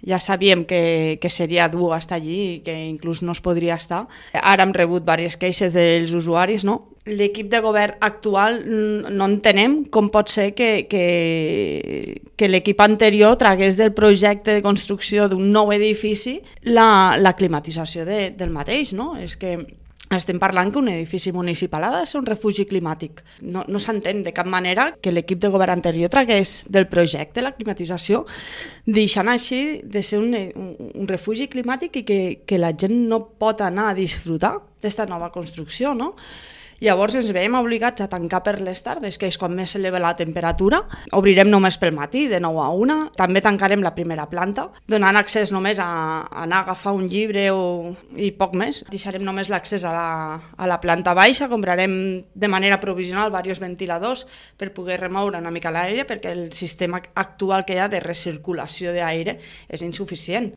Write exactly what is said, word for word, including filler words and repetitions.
ja sabíem que, que seria dur estar allí i que inclús no es podria estar. Ara hem rebut diverses queixes dels usuaris, no? L'equip de govern actual no entenem com pot ser que, que, que l'equip anterior tragués del projecte de construcció d'un nou edifici la, la climatització de, del mateix, no? És que estem parlant que un edifici municipal ha de ser un refugi climàtic. No, no s'entén de cap manera que l'equip de govern anterior tragués del projecte la climatització, deixant així de ser un, un, un refugi climàtic i que, que la gent no pot anar a disfrutar d'esta nova construcció, no? Llavors ens veiem obligats a tancar per les tardes, que és quan més s'eleva la temperatura. Obrirem només pel matí, de nou a una. També tancarem la primera planta, donant accés només a, a anar a agafar un llibre o, i poc més. Deixarem només l'accés a la, a la planta baixa, comprarem de manera provisional diversos ventiladors per poder remoure una mica l'aire, perquè el sistema actual que hi ha de recirculació d'aire és insuficient.